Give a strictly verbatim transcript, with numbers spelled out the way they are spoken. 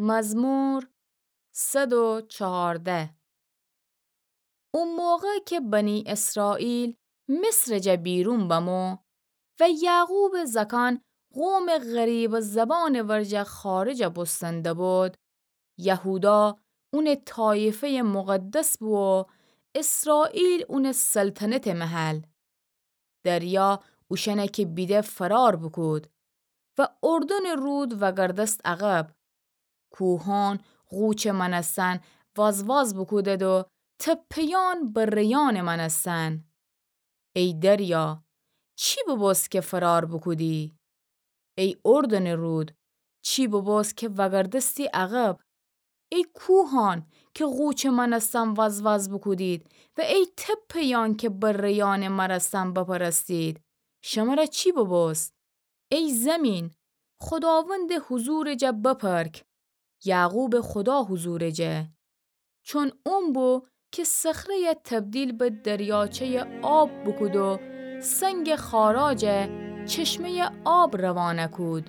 مزمور صد و چهارده. او موقع کی بنی اسرائیل مصرٚ جا بیرون بمو و یعقوبٚ زأکأن قومٚ غریبٚ زبانٚ ورجه خارج بوستن دبود، یهودا اونٚ طایفه‌یٚ مقدس بو و اسرائیل اونٚ سلطنتٚ محل. دریا اوشأنه کی بیده فرار بوکود و اردنٚ رود وأگردست عقب. کوهأن غوچٚ مأنستن وازواز بوکودد و تپه‌یأن بره‌یأنٚ مأنستن. ای دریا، چی ببوست کی فرار بوکودی؟ ای اردنٚ رود، چی ببوست کی وأگردستی عقب؟ ای کوهأن کی غوچٚ مأنستن وازواز بوکودید و ای تپه‌یأن کی بره‌یأنٚ مأنستن بپرستید، شمر چی ببوست؟ ای زمین، خوداوندٚ حضورٚ جا بپرک، یعقوبٚ خودا حضورٚ جا. چون اون بو کی صخره‌یه تبدیل به دریاچه‌یٚ آب بوکود و سنگٚ خارا جا چشمه‌یٚ آب روانه کود.